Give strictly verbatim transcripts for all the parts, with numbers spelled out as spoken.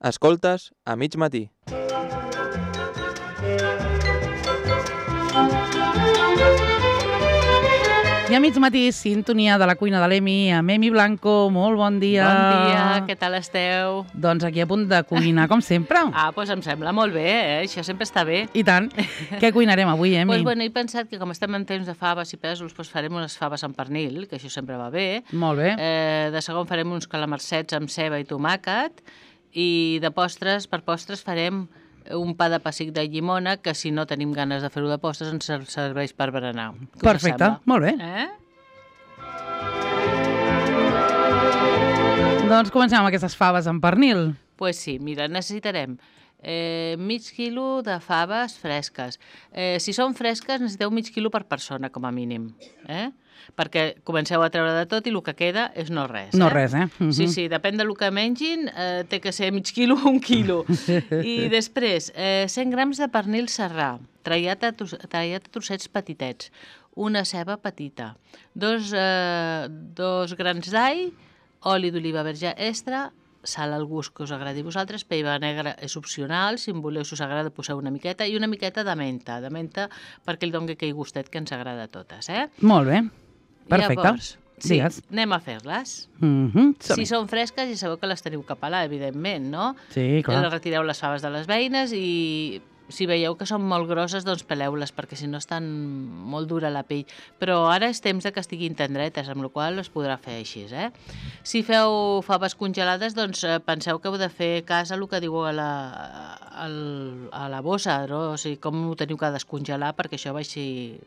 Escoltes a mig matí. I a mig matí, sintonia de la cuina de l'Emi, amb Emi Blanco. Molt bon dia. Bon dia, què tal esteu? Doncs aquí a punt de cuinar, com sempre. Ah, doncs em sembla molt bé, eh? Això sempre està bé. I tant. Què cuinarem avui, Emi? Doncs bueno, he pensat que com estem en temps de faves i pèsols, doncs farem unes faves amb pernil, que això sempre va bé. Molt bé. Eh, de segon farem uns calamarsets amb ceba i tomàquet. I de postres, per postres farem un pa de pessic de llimona, que si no tenim ganes de fer-ho de postres ens serveix per berenar. Perfecte, molt bé. Eh? Doncs comencem amb aquestes faves amb pernil. Doncs pues sí, mira, necessitarem eh, mig quilo de faves fresques. Eh, si són fresques necessiteu mig quilo per persona, com a mínim. Eh? Perquè comenceu a treure de tot i el que queda és no res. No eh? res, eh? Uh-huh. Sí, sí, depèn del que mengin, eh, té que ser mig quilo o un quilo. I després, eh, cent grams de pernil serrà, tallat a, tallat a trossets petitets, una ceba petita, dos, eh, dos grans d'all, oli d'oliva verge extra, sal al gust que us agradi a vosaltres, pell negra és opcional, si en voleu, si us agrada, poseu una miqueta, i una miqueta de menta, de menta perquè el doni aquell gustet que ens agrada a totes, eh? Molt bé, perfecte. Llavors, sí, digues. anem a fer-les. Uh-huh. Si són fresques, ja sabeu que les teniu que pelar, evidentment, no? Sí, clar. Les retireu les faves de les beines i si veieu que són molt grosses, doncs peleu-les, perquè si no estan molt dura la pell. Però ara és temps de que estiguin tendretes, amb la qual cosa es podrà fer així, eh? Si feu faves congelades, doncs penseu que heu de fer cas a el que diu a la, a a la bossa, no? O sigui, com ho teniu que descongelar perquè això vagi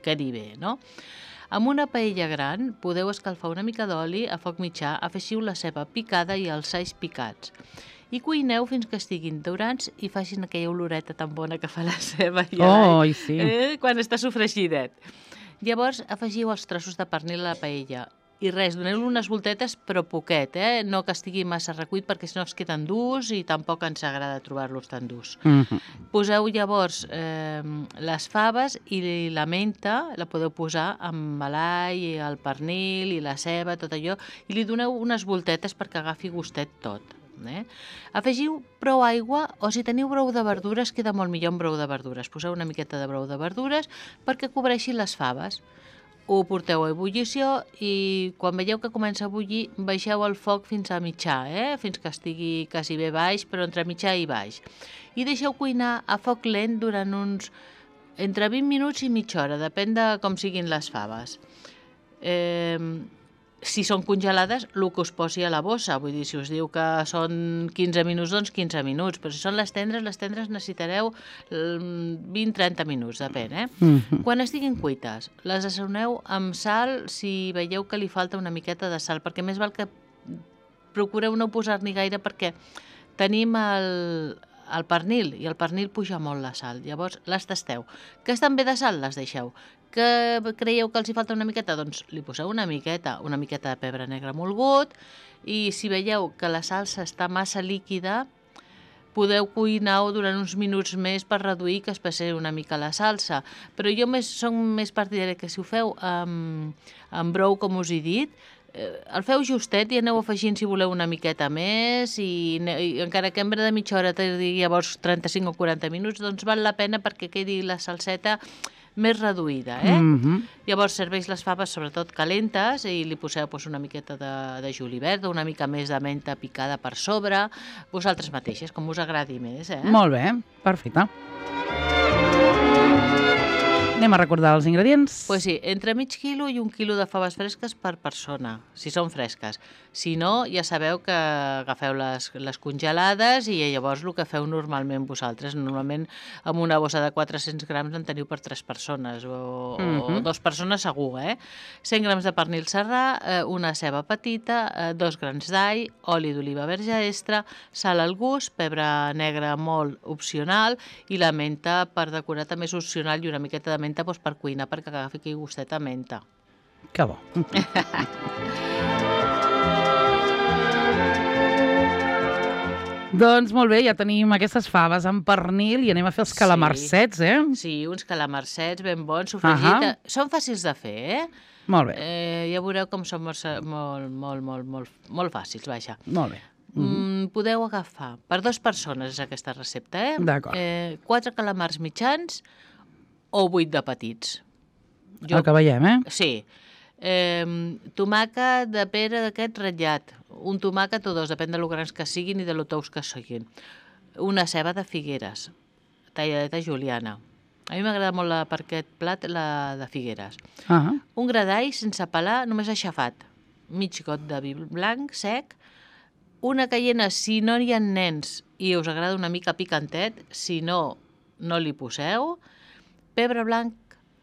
quedi bé, no? Amb una paella gran podeu escalfar una mica d'oli a foc mitjà, afegiu la ceba picada i els alls picats. I cuineu fins que estiguin daurats i facin aquella oloreta tan bona que fa la ceba i Oh, l'all, i sí. eh, quan està sofregidet. Llavors afegiu els trossos de pernil a la paella i res, doneu-li unes voltetes però poquet, eh? No que estigui massa recuit perquè si no es queden durs i tampoc ens agrada trobar-los tan durs. Uh-huh. Poseu llavors eh, les faves i la menta, la podeu posar amb l'all, el pernil i la ceba, tot allò, i li doneu unes voltetes perquè agafi gustet tot. Eh? Afegiu prou aigua o si teniu brou de verdures queda molt millor amb brou de verdures. Poseu una miqueta de brou de verdures perquè cobreixi les faves. Ho porteu a ebullició i quan veieu que comença a bullir baixeu el foc fins a mitjà, eh? Fins que estigui quasi bé baix, però entre mitjà i baix. I deixeu cuinar a foc lent durant uns entre vint minuts i mitja hora, depèn de com siguin les faves. Eh... Si són congelades, el que us posi a la bossa. Vull dir, si us diu que són quinze minuts, doncs quinze minuts. Però si són les tendres, les tendres necessitareu vint a trenta minuts, depèn, eh? Uh-huh. Quan estiguin cuites, les assaoneu amb sal si veieu que li falta una miqueta de sal, perquè més val que procureu no posar-n'hi gaire perquè tenim el, el pernil i el pernil puja molt la sal. Llavors les tasteu. Que estan bé de sal, les deixeu. Que creieu que els hi falta una miqueta, doncs li poseu una miqueta, una miqueta de pebre negre molgut i si veieu que la salsa està massa líquida, podeu cuinar-ho durant uns minuts més per reduir que es passi una mica la salsa. Però jo més, som més partidària que si ho feu amb, amb brou, com us he dit, eh, el feu justet i aneu afegint si voleu una miqueta més i, i encara que en de mitja hora tardi llavors trenta-cinc o quaranta minuts, doncs val la pena perquè quedi la salseta més reduïda, eh? Uh-huh. Llavors serveix les faves sobretot calentes i li poseu pues, una miqueta de, de julivert, una mica més de menta picada per sobre, vosaltres mateixes, com us agradi més, eh? Molt bé, perfecte. Anem a recordar els ingredients. Pues sí, entre mig quilo i un quilo de faves fresques per persona, si són fresques. Si no, ja sabeu que agafeu les, les congelades i llavors el que feu normalment vosaltres. Normalment amb una bossa de quatre-cents grams en teniu per tres persones o, uh-huh. o dos persones segur, eh? cent grams de pernil serrà, una ceba petita, dos grans d'all, oli d'oliva verge extra, sal al gust, pebre negre molt opcional i la menta per decorar també és opcional i una miqueta de menta doncs, per cuinar perquè agafi aquell gustet a menta. Que bo. Doncs molt bé, ja tenim aquestes faves amb pernil i anem a fer els calamarsets, eh? Sí, uns calamarsets ben bons, sofregit. Uh-huh. Són fàcils de fer, eh? Molt bé. Eh, ja veureu com són molt, molt, molt, molt, molt, molt fàcils, vaja. Molt bé. mm, podeu agafar, per dues persones és aquesta recepta, eh? D'acord. Eh, quatre calamars mitjans o vuit de petits. El que veiem, eh? Sí. Eh, tomàquet de pera d'aquest ratllat, un tomàquet o dos, depèn de lo grans que siguin i de lo tous que siguin. Una ceba de Figueres, talladeta juliana. A mi m'agrada molt la, per aquest plat la de Figueres. Ah, Un gra d'all sense pelar, només aixafat. Mig got de vi blanc sec. Una caiena, si no hi ha nens i us agrada una mica picantet, si no, no li poseu. Pebre blanc,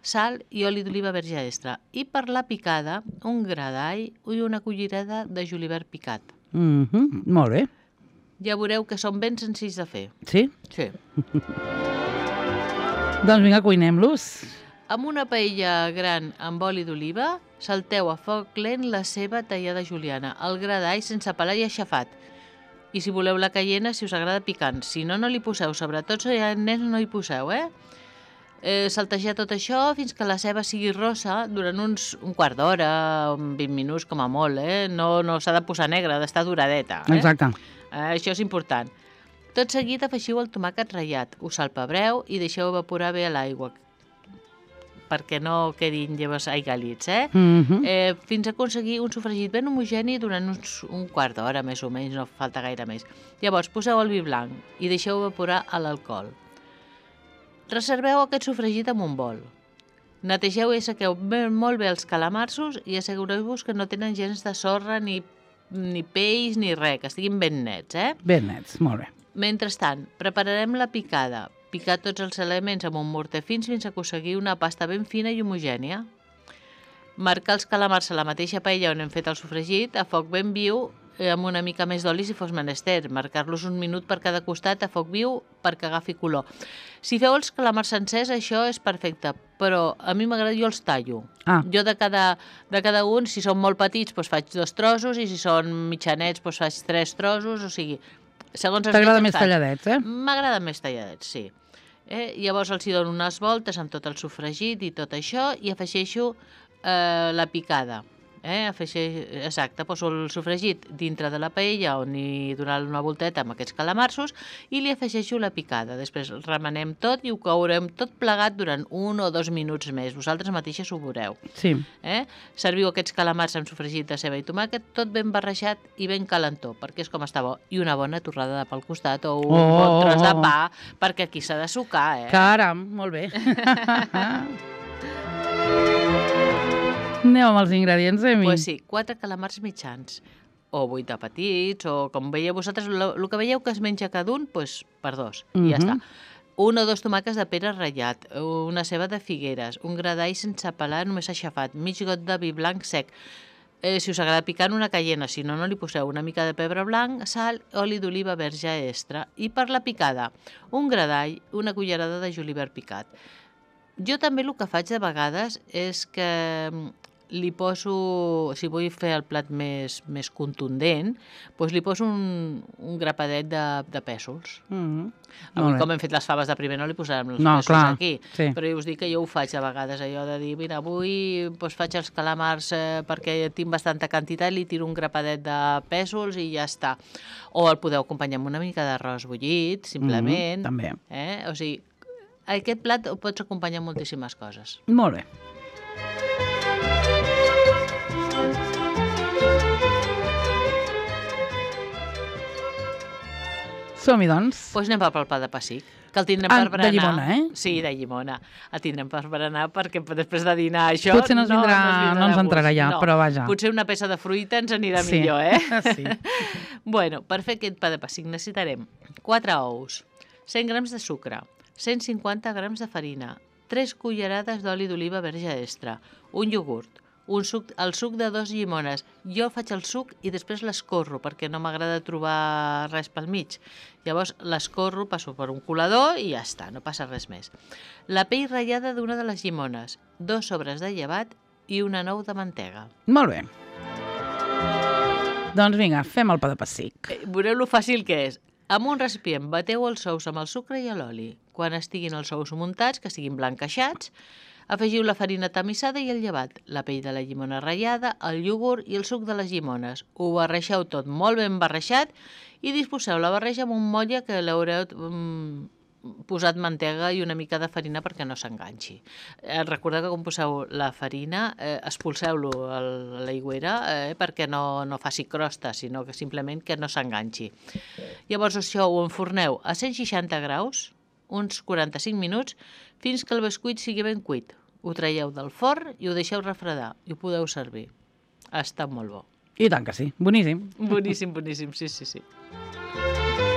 sal i oli d'oliva verge extra. I per la picada, un gra d'all i una cullerada de julivert picat. mm -hmm. Molt bé. Ja veureu que són ben senzills de fer. Sí? Sí. Doncs vinga, cuinem-los. Amb una paella gran amb oli d'oliva, salteu a foc lent la ceba tallada juliana, el gra d'all sense pelar i aixafat. I si voleu la caiena, si us agrada picant. Si no, no li poseu. Sobretot si hi ha nens, no hi poseu, eh? eh? Saltejar tot això fins que la ceba sigui rossa durant uns un quart d'hora, vint minuts com a molt, eh? No, no s'ha de posar negra, ha d'estar duradeta. Eh? Exacte. Eh, això és important. Tot seguit afegiu el tomàquet ratllat, us salpebreu i deixeu evaporar bé a l'aigua, perquè no quedin llavors aigalits, eh? Mm -hmm. eh? Fins a aconseguir un sofregit ben homogeni durant uns, un quart d'hora, més o menys, no falta gaire més. Llavors, poseu el vi blanc i deixeu evaporar a l'alcohol. Reserveu aquest sofregit en un bol. Netegeu i assequeu ben, molt bé els calamarsos i assegureu-vos que no tenen gens de sorra, ni, ni peix, ni res, que estiguin ben nets, eh? Ben nets, molt bé. Mentrestant, prepararem la picada. Picar tots els elements amb un morter fins fins a aconseguir una pasta ben fina i homogènia. Marcar els calamars a la mateixa paella on hem fet el sofregit a foc ben viu, amb una mica més d'oli si fos menester. Marcar-los un minut per cada costat a foc viu perquè agafi color. Si feu els calamars sencers, això és perfecte, però a mi m'agrada, jo els tallo. Ah. Jo de cada, de cada un, si són molt petits, doncs faig dos trossos, i si són mitjanets, doncs faig tres trossos, o sigui... T'agrada més talladets, eh? M'agrada més talladets, sí. Eh? Llavors els hi dono unes voltes amb tot el sofregit i tot això i afegeixo eh, la picada. Eh? Afegeix, exacte, poso el sofregit dintre de la paella on hi donar una volteta amb aquests calamarsos i li afegeixo la picada. Després remenem tot i ho courem tot plegat durant un o dos minuts més. Vosaltres mateixes ho veureu. Sí. Eh? Serviu aquests calamars amb sofregit de ceba i tomàquet, tot ben barrejat i ben calentó, perquè és com està bo. I una bona torrada de pa al costat o un Oh, bon tros de oh, oh. pa, perquè aquí s'ha de sucar, eh? Caram, molt bé. Anem amb els ingredients, Emi. Pues sí, quatre calamars mitjans, o vuit de petits, o com veieu vosaltres, el que veieu que es menja cada un, pues, per dos, i ja Mhm. està. Un o dos tomàquets de pera ratllat, una ceba de Figueres, un gra d'all sense pelar, només aixafat, mig got de vi blanc sec. Eh, si us agrada picant, una caiena, si no, no li poseu una mica de pebre blanc, sal, oli d'oliva verge extra. I per la picada, un gra d'all, una cullerada de julivert picat. Jo també el que faig de vegades és que li poso, si vull fer el plat més, més contundent, doncs li poso un, un grapadet de, de pèsols. Mm-hmm. Avui, com hem fet les faves de primer, no li posarem els No, pèsols clar, aquí. sí. Però jo us dic que jo ho faig de vegades, allò de dir, mira, avui doncs, faig els calamars eh, perquè tinc bastanta quantitat, li tiro un grapadet de pèsols i ja està. O el podeu acompanyar amb una mica d'arròs bullit, simplement. Mm, també. Eh? O sigui, aquest plat ho pots acompanyar amb moltíssimes coses. Molt bé. Som-hi, doncs. Doncs pues anem pel pa de pessic, que el tindrem Ah, per berenar. de llimona, eh? Sí, de llimona. El tindrem per berenar perquè després de dinar això... Potser no ens vindrà- no ens de entrarà gust. ja, No. però vaja. Potser una peça de fruita ens anirà Sí. millor, eh? Sí. Bueno, per fer aquest pa de pessic necessitarem quatre ous, cent grams de sucre, cent cinquanta grams de farina, tres cullerades d'oli d'oliva verge extra, un iogurt, un suc, el suc de dos llimones. Jo faig el suc i després l'escorro perquè no m'agrada trobar res pel mig. Llavors l'escorro, passo per un colador i ja està, no passa res més. La pell ratllada d'una de les llimones, dos sobres de llevat i una nou de mantega. Molt bé. Doncs vinga, fem el pa de pessic. Eh, Veureu lo fàcil que és. Amb un recipient bateu els ous amb el sucre i l'oli. Quan estiguin els ous muntats, que siguin blanquejats, Afegiu la farina tamissada i el llevat, la pell de la llimona ratllada, el iogurt i el suc de les llimones. Ho barreixeu tot molt ben barreixat i disposeu la barreja amb un motlle que l'haureu mm, posat mantega i una mica de farina perquè no s'enganxi. Eh, recordeu que quan poseu la farina, eh, expulseu-lo a l'aigüera eh, perquè no, no faci crosta, sinó que simplement que no s'enganxi. Llavors això ho enforneu a cent seixanta graus, uns quaranta-cinc minuts, fins que el bescuit sigui ben cuit. Ho traieu del forn i ho deixeu refredar i ho podeu servir. Està molt bo. I tant que sí, boníssim. Boníssim, boníssim, sí, sí, sí.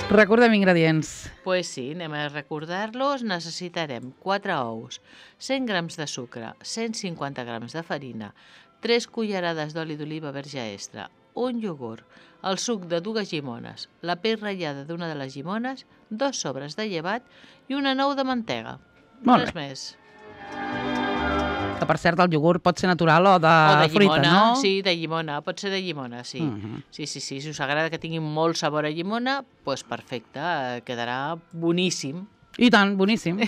Recordem ingredients. Pues sí, anem a recordar-los. Necessitarem quatre ous, cent grams de sucre, cent cinquanta grams de farina, tres cullerades d'oli d'oliva verge extra, un iogurt, el suc de dues llimones, la pell ratllada d'una de les llimones, dos sobres de llevat i una nou de mantega. Molt Res bé. més. Que, per cert, el iogurt pot ser natural o de, O de fruita, llimona, no? sí, de llimona, pot ser de llimona, sí. Uh -huh. Sí, sí, sí, si us agrada que tingui molt sabor a llimona, doncs perfecte, eh, quedarà boníssim. I tant, boníssim.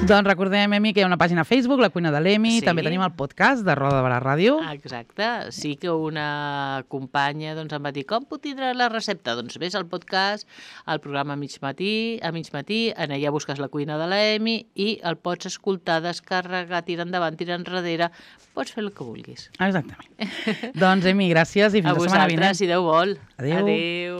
Doncs recordem, Emi, que hi ha una pàgina a Facebook, La Cuina de l'Emi, Sí. també tenim el podcast de Roda de Barà Ràdio. Exacte, sí que una companya doncs, em va dir com puc tindre la recepta? Doncs vés al podcast, al programa a mig matí, a mig matí, en allà busques La Cuina de l'Emi i el pots escoltar, descarregar, tirar endavant, tirar enrere, pots fer el que vulguis. Exactament. Doncs, Emi, gràcies i fins A la setmana vinent. vosaltres, si Déu vol. Adéu. Adéu.